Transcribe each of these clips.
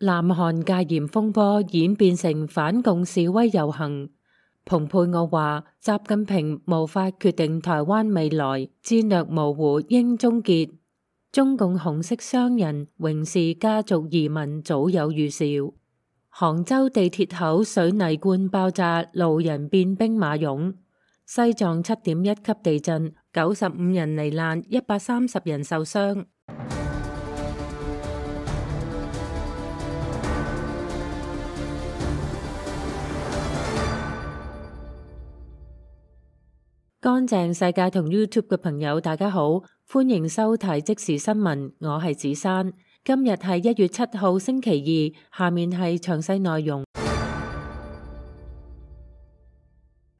南韓戒嚴風波演變成反共示威遊行。蓬佩奧話：習近平無法決定台灣未來，戰略模糊應終結。中共紅色商人榮氏家族移民早有預兆。杭州地鐵口水泥罐爆炸，路人變兵馬俑。西藏7.1級地震，95人罹難，130人受傷。乾淨世界同 YouTube 嘅朋友，大家好，歡迎收睇即時新聞，我係子珊。今日係1月7號星期二，下面係詳細內容。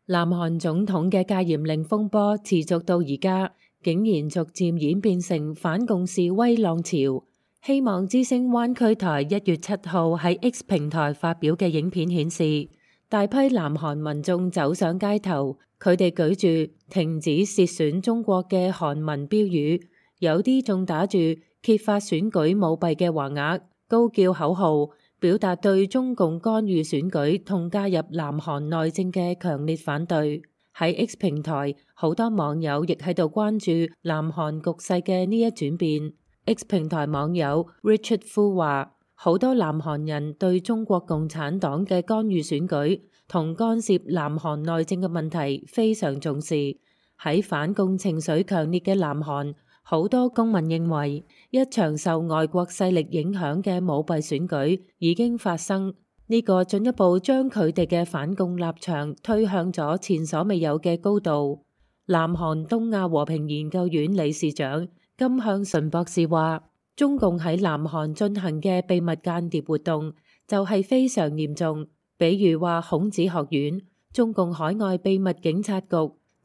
南韓總統嘅戒嚴令風波持續到而家，竟然逐漸演變成反共示威浪潮。希望之聲灣區台1月7號喺 X 平台發表嘅影片顯示，大批南韓民眾走上街頭，佢哋舉住停止竊選中國嘅韓文標語，有啲仲打住揭發選舉舞弊嘅橫額，高叫口號，表達對中共干預選舉同介入南韓內政嘅強烈反對。喺 X 平台，好多網友亦喺度關注南韓局勢嘅呢一轉變。X 平台網友 Richard Fu 話：好多南韓人對中國共產黨嘅干預選舉同干涉南韓內政嘅問題非常重視。喺反共情緒強烈嘅南韓，好多公民認為一場受外國勢力影響嘅舞弊選舉已經發生，呢個進一步將佢哋嘅反共立場推向咗前所未有嘅高度。南韓東亞和平研究院理事長金向純博士話：中共喺南韓進行嘅秘密間諜活動就係非常嚴重，比如話孔子學院、中共海外秘密警察局、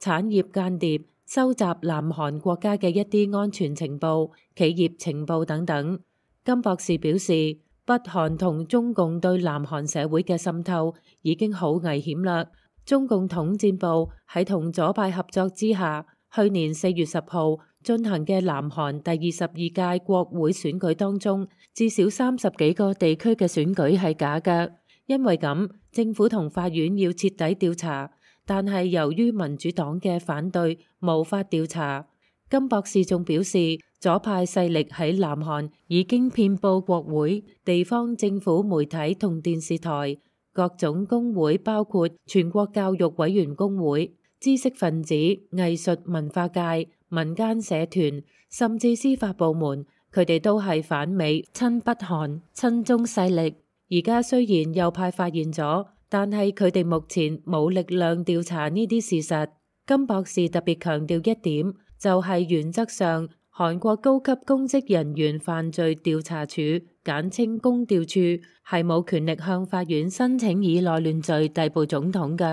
產業間諜、收集南韓國家嘅一啲安全情報、企業情報等等。金博士表示，北韓同中共對南韓社會嘅滲透已經好危險啦。中共統戰部喺同左派合作之下，去年4月10號進行嘅南韓第22屆國會選舉當中，至少30幾個地區嘅選舉係假嘅。因為咁，政府同法院要徹底調查，但係由於民主黨嘅反對，無法調查。金博士仲表示，左派勢力喺南韓已經遍佈國會、地方政府媒體同電視台、各種工會，包括全國教育委員工會、知識分子、藝術文化界、民間社團，甚至司法部門，佢哋都係反美、親北韓、親中勢力。而家雖然右派發現咗，但係佢哋目前冇力量調查呢啲事實。金博士特別強調一點，就係原則上，韓國高級公職人員犯罪調查處簡稱公調處係冇權力向法院申請以內亂罪逮捕總統嘅，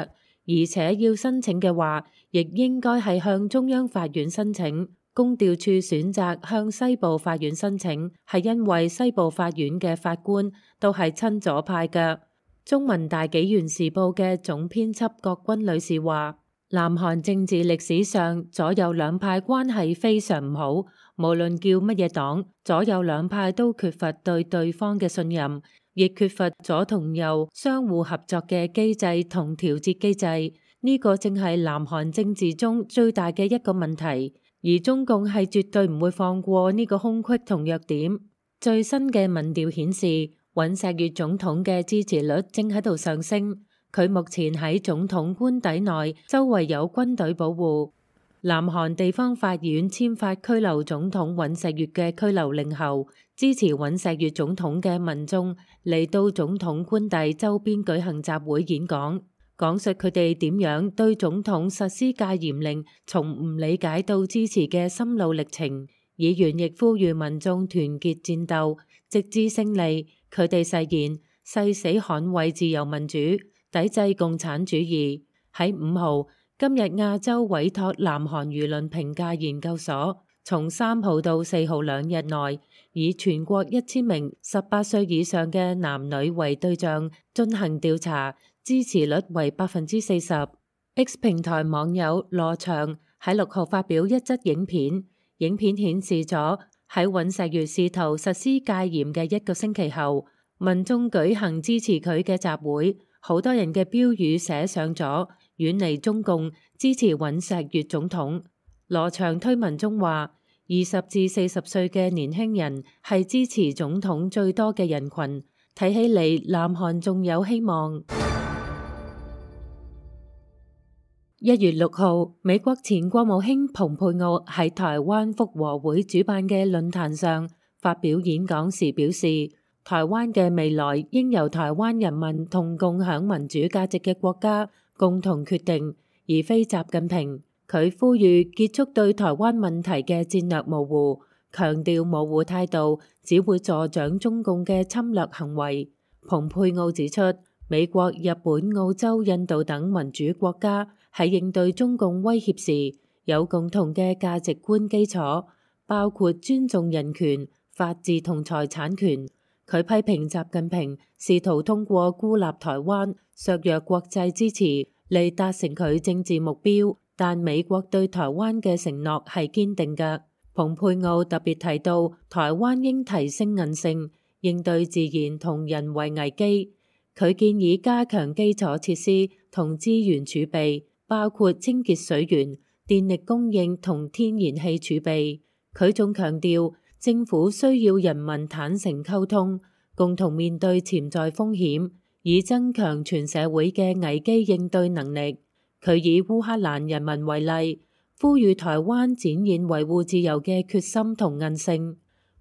而且要申請嘅話，亦應該係向中央法院申請。公調處選擇向西部法院申請，係因為西部法院嘅法官都係親左派嘅。中文大紀元時報嘅總編輯郭君女士話：南韓政治歷史上左右兩派關係非常唔好，無論叫乜嘢黨，左右兩派都缺乏對對方嘅信任，亦缺乏左同右相互合作嘅機制同調節機制。呢個正係南韓政治中最大嘅一個問題。而中共係絕對唔會放過呢個空隙同弱點。最新嘅民調顯示，尹錫悅總統嘅支持率正喺度上升。佢目前喺總統官邸內，周圍有軍隊保護。南韓地方法院簽發拘留總統尹錫悅嘅拘留令後，支持尹錫悅總統嘅民眾嚟到總統官邸周邊舉行集會演講。講述佢哋點樣對總統實施戒嚴令，從唔理解到支持嘅心路歷程。議員亦呼籲民眾團結戰鬥，直至勝利。佢哋誓言誓死捍衛自由民主，抵制共產主義。喺5號，今日亞洲委託南韓輿論評價研究所，從3號到4號2日內，以全國1000名18歲以上嘅男女為對象進行調查。支持率為40%。X 平台網友羅翔喺6號發表一則影片，影片顯示咗喺尹錫悅試圖實施戒嚴嘅1個星期後，民眾舉行支持佢嘅集會，好多人嘅標語寫上咗遠離中共，支持尹錫悅總統。羅祥推文中話，20至40歲嘅年輕人係支持總統最多嘅人群，睇起嚟南韓仲有希望。1月6號，美國前國務卿蓬佩奧喺台灣復和會主辦嘅論壇上發表演講時表示，台灣嘅未來應由台灣人民同共享民主價值嘅國家共同決定，而非習近平。佢呼籲結束對台灣問題嘅戰略模糊，強調模糊態度只會助長中共嘅侵略行為。蓬佩奧指出，美國、日本、澳洲、印度等民主國家喺應對中共威脅時有共同嘅價值觀基礎，包括尊重人權、法治同財產權。佢批評習近平試圖通過孤立台灣、削弱國際支持嚟達成佢政治目標，但美國對台灣嘅承諾係堅定嘅。蓬佩奧特別提到，台灣應提升韌性，應對自然同人為危機。佢建議加強基礎設施同資源儲備，包括清潔水源、電力供應同天然氣儲備。佢仲強調，政府需要人民坦誠溝通，共同面對潛在風險，以增強全社會嘅危機應對能力。佢以烏克蘭人民為例，呼籲台灣展現維護自由嘅決心同韌性。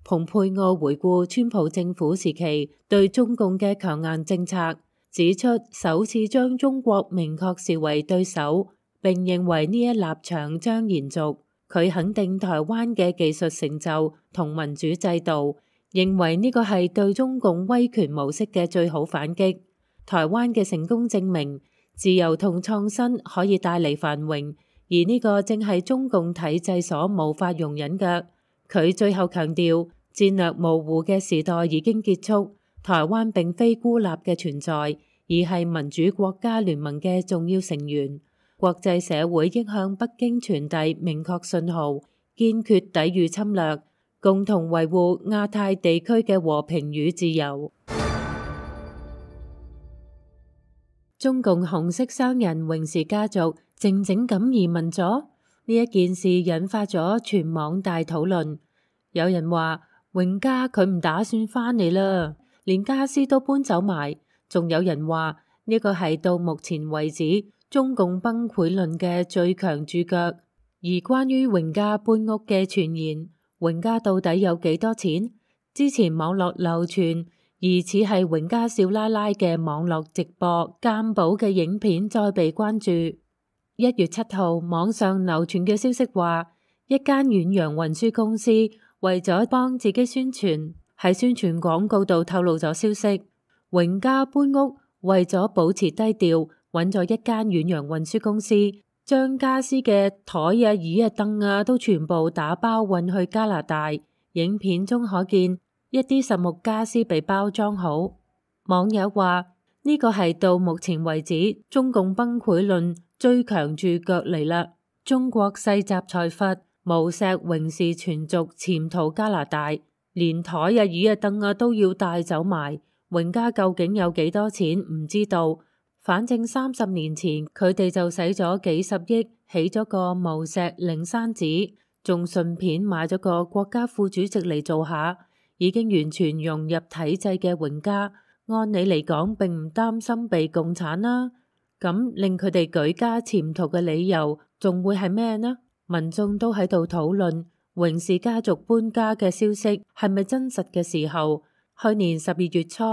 蓬佩奧回顧川普政府時期對中共嘅強硬政策，指出首次將中國明確視為對手，並認為呢一立場將延續。佢肯定台灣嘅技術成就同民主制度，認為呢個係對中共威權模式嘅最好反擊。台灣嘅成功證明，自由同創新可以帶嚟繁榮，而呢個正係中共體制所無法容忍嘅。佢最後強調，戰略模糊嘅時代已經結束，台灣並非孤立嘅存在，而係民主國家聯盟嘅重要成員。國際社會應向北京傳遞明確信號，堅決抵禦侵略，共同維護亞太地區嘅和平與自由。中共紅色商人榮氏家族靜靜咁移民咗，呢一件事引發咗全網大討論。有人話榮家佢唔打算返嚟啦，連家私都搬走埋。仲有人話呢個係到目前為止中共崩潰論嘅最強注腳。而關於榮家搬屋嘅傳言，榮家到底有幾多錢？之前網絡流傳疑似係榮家少奶奶嘅網絡直播鑑寶嘅影片再被關注。1月7號，網上流傳嘅消息話，一間遠洋運輸公司為咗幫自己宣傳，喺宣傳廣告度透露咗消息，榮家搬屋為咗保持低調，揾咗一間遠洋運輸公司，將家私嘅枱啊、椅啊、凳啊都全部打包運去加拿大。影片中可見一啲實木家私被包裝好。網友話呢個係到目前為止中共崩潰論最強注腳嚟啦。中國世襲財閥無錫榮氏全族潛逃加拿大，連枱啊、椅啊、凳啊都要帶走埋。榮家究竟有幾多錢唔知道，反正30年前佢哋就使咗幾十億起咗個無錫靈山寺，仲順便買咗個國家副主席嚟做下，已經完全融入體制嘅榮家，按理嚟講並唔擔心被共產啦。咁令佢哋舉家潛逃嘅理由仲會係咩呢？民眾都喺度討論榮氏家族搬家嘅消息係咪真實嘅時候，去年12月初，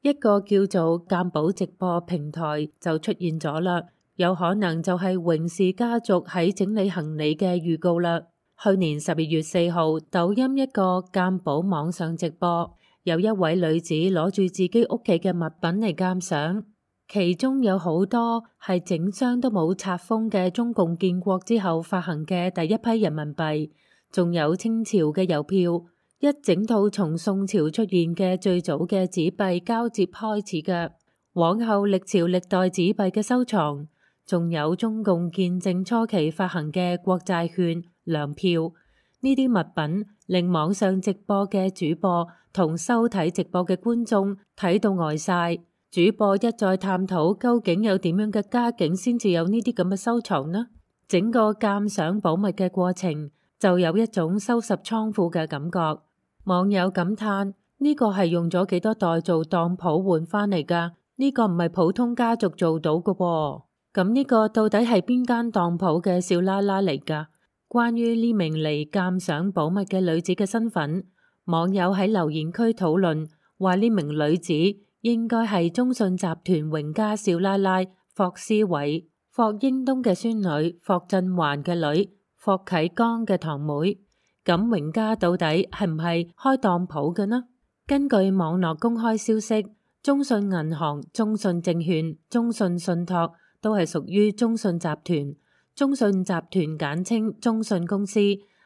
一個叫做鑑寶直播平台就出現咗啦，有可能就係榮氏家族喺整理行李嘅預告啦。去年12月4號，抖音一個鑑寶網上直播，有一位女子攞住自己屋企嘅物品嚟鑑賞，其中有好多係整箱都冇拆封嘅中共建國之後發行嘅第一批人民幣，仲有清朝嘅郵票，一整套從宋朝出現嘅最早嘅紙幣交接開始嘅，往後歷朝歷代紙幣嘅收藏，仲有中共建政初期發行嘅國債券、糧票，呢啲物品令網上直播嘅主播同收睇直播嘅觀眾睇到呆晒。主播一再探討究竟有點樣嘅家境先至有呢啲咁嘅收藏呢？整個鑑賞寶物嘅過程就有一種收拾倉庫嘅感覺。網友感嘆：呢個係用咗幾多代做當鋪換翻嚟㗎？呢個唔係普通家族做到嘅喎。咁呢個到底係邊間當鋪嘅少奶奶嚟㗎？關於呢名嚟鑑賞寶物嘅女子嘅身份，網友喺留言區討論，話呢名女子應該係中信集團榮家少奶奶霍思偉、霍英東嘅孫女、霍震寰嘅女、霍啟剛嘅堂妹。咁榮家到底係唔係開當鋪嘅呢？根據網絡公開消息，中信銀行、中信證券、中信信託都係屬於中信集團。中信集團簡稱中信公司，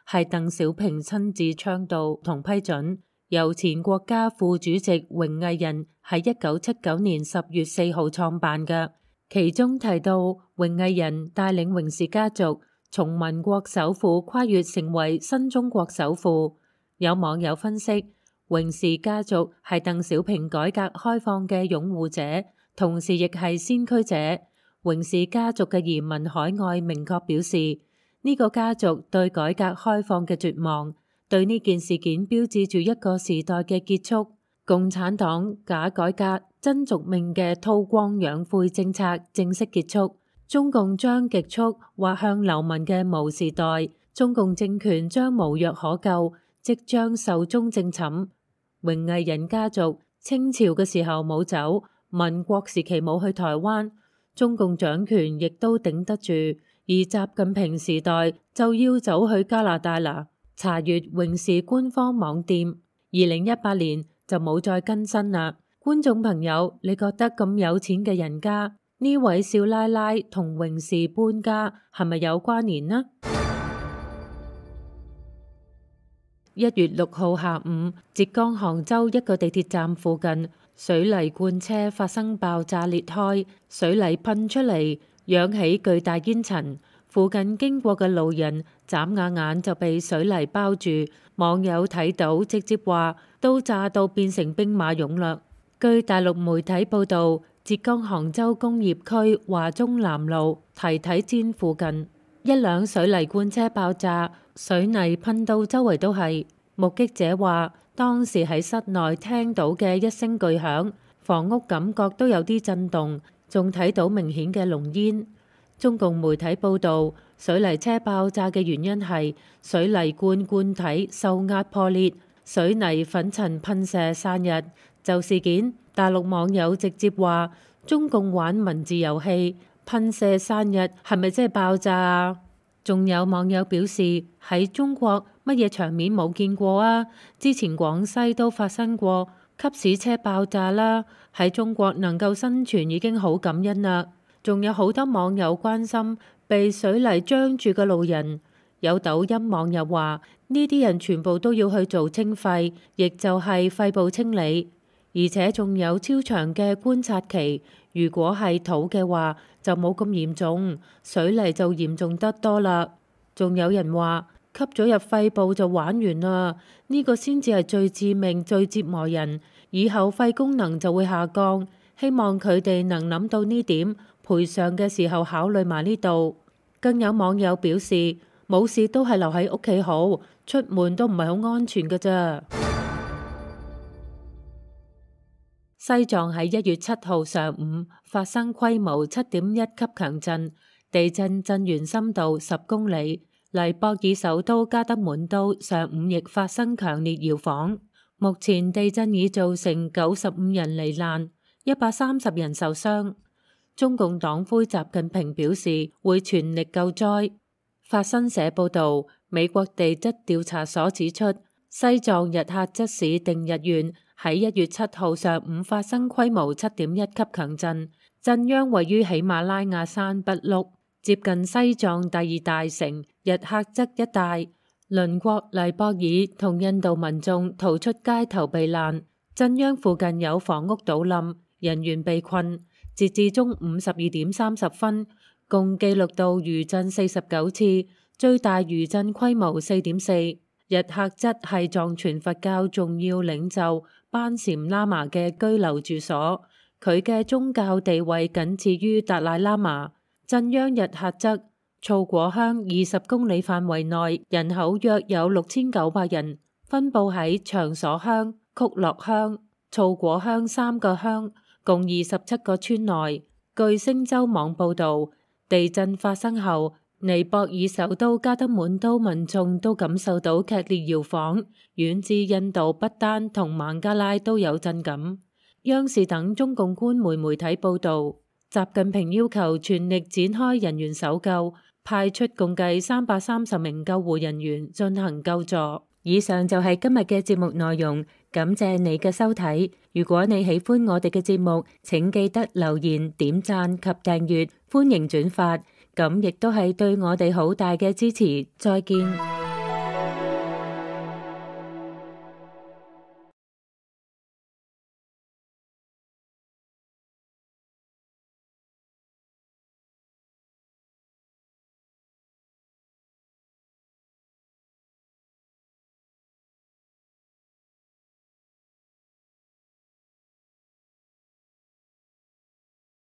係鄧小平親自倡導同批准，由前國家副主席榮毅仁喺1979年10月4號創辦嘅。其中提到榮毅仁帶領榮氏家族從民國首富跨越成為新中國首富。有網友分析，榮氏家族係鄧小平改革開放嘅擁護者，同時亦係先驅者。榮氏家族嘅移民海外明確表示，呢個家族對改革開放嘅絕望，對呢件事件標誌住一個時代嘅結束。共產黨假改革真續命嘅韜光養晦政策正式結束，中共將極速滑向流氓嘅毛時代，中共政權將無藥可救，即將壽終正寢。榮毅仁家族清朝嘅時候冇走，民國時期冇去台灣，中共掌權亦都頂得住，而習近平時代就要走去加拿大啦。查閱榮氏官方網店，2018年就冇再更新啦。觀眾朋友，你覺得咁有錢嘅人家，呢位少奶奶同榮氏搬家係咪有關聯呢？1月6號下午，浙江杭州一個地鐵站附近，水泥罐車發生爆炸裂開，水泥噴出嚟，揚起巨大煙塵。附近經過嘅路人眨下眼就被水泥包住。網友睇到直接話都炸到變成兵馬俑啦。據大陸媒體報導，浙江杭州工業區華中南路提體氈附近，一輛水泥罐車爆炸，水泥噴到周圍都係。目擊者話，當時喺室內聽到嘅一聲巨響，房屋感覺都有啲震動，仲睇到明顯嘅濃煙。中共媒體報導，水泥車爆炸嘅原因係水泥罐體受壓破裂，水泥粉塵噴射散逸。就事件，大陸網友直接話：中共玩文字遊戲，噴射散逸係咪即係爆炸啊？仲有網友表示，喺中國乜嘢場面冇見過啊？之前廣西都發生過吸屎車爆炸啦，喺中國能夠生存已經好感恩啦。仲有好多網友關心被水泥漿住嘅路人，有抖音網友話呢啲人全部都要去做清肺，亦就係肺部清理，而且仲有超長嘅觀察期。如果係土嘅話就冇咁嚴重，水泥就嚴重得多啦。仲有人話吸咗入肺部就玩完啦，呢個先至係最致命、最折磨人，以後肺功能就會下降。希望佢哋能諗到呢點，賠償嘅時候考慮埋呢度。更有網友表示，冇事都係留喺屋企好，出門都唔係好安全㗎咋。西藏喺1月7號上午發生規模7.1級強震，地震震源深度10公里。黎博爾首都加德滿都上午亦發生強烈搖晃。目前地震已造成95人罹難，130人受傷。中共黨魁習近平表示會全力救災。法新社報導，美國地質調查所指出，西藏日喀則市定日縣喺1月7號上午發生規模7.1級強震，震央位於喜馬拉雅山北麓，接近西藏第2大城日喀則一帶。鄰國黎博爾同印度民眾逃出街頭避難，震央附近有房屋倒冧，人員被困。截至中午12點30分，共記錄到餘震49次，最大餘震規模4.4。日喀則係藏傳佛教重要領袖班禪喇嘛嘅居留住所，佢嘅宗教地位僅次於達賴喇嘛。鎮央日喀則措果鄉20公里範圍內，人口約有6900人，分布喺長所鄉、曲洛鄉、措果鄉3個鄉，共27個村內。據星洲網報導，地震發生後，尼泊爾首都加德滿都民眾都感受到劇烈搖晃，遠至印度不丹同孟加拉都有震感。央視等中共官媒媒體報導，習近平要求全力展開人員搜救，派出共計330名救護人員進行救助。以上就係今日嘅節目內容，感謝你嘅收睇。如果你喜歡我哋嘅節目，請記得留言、點讚及訂閱，歡迎轉發，咁亦都係對我哋好大嘅支持。再見。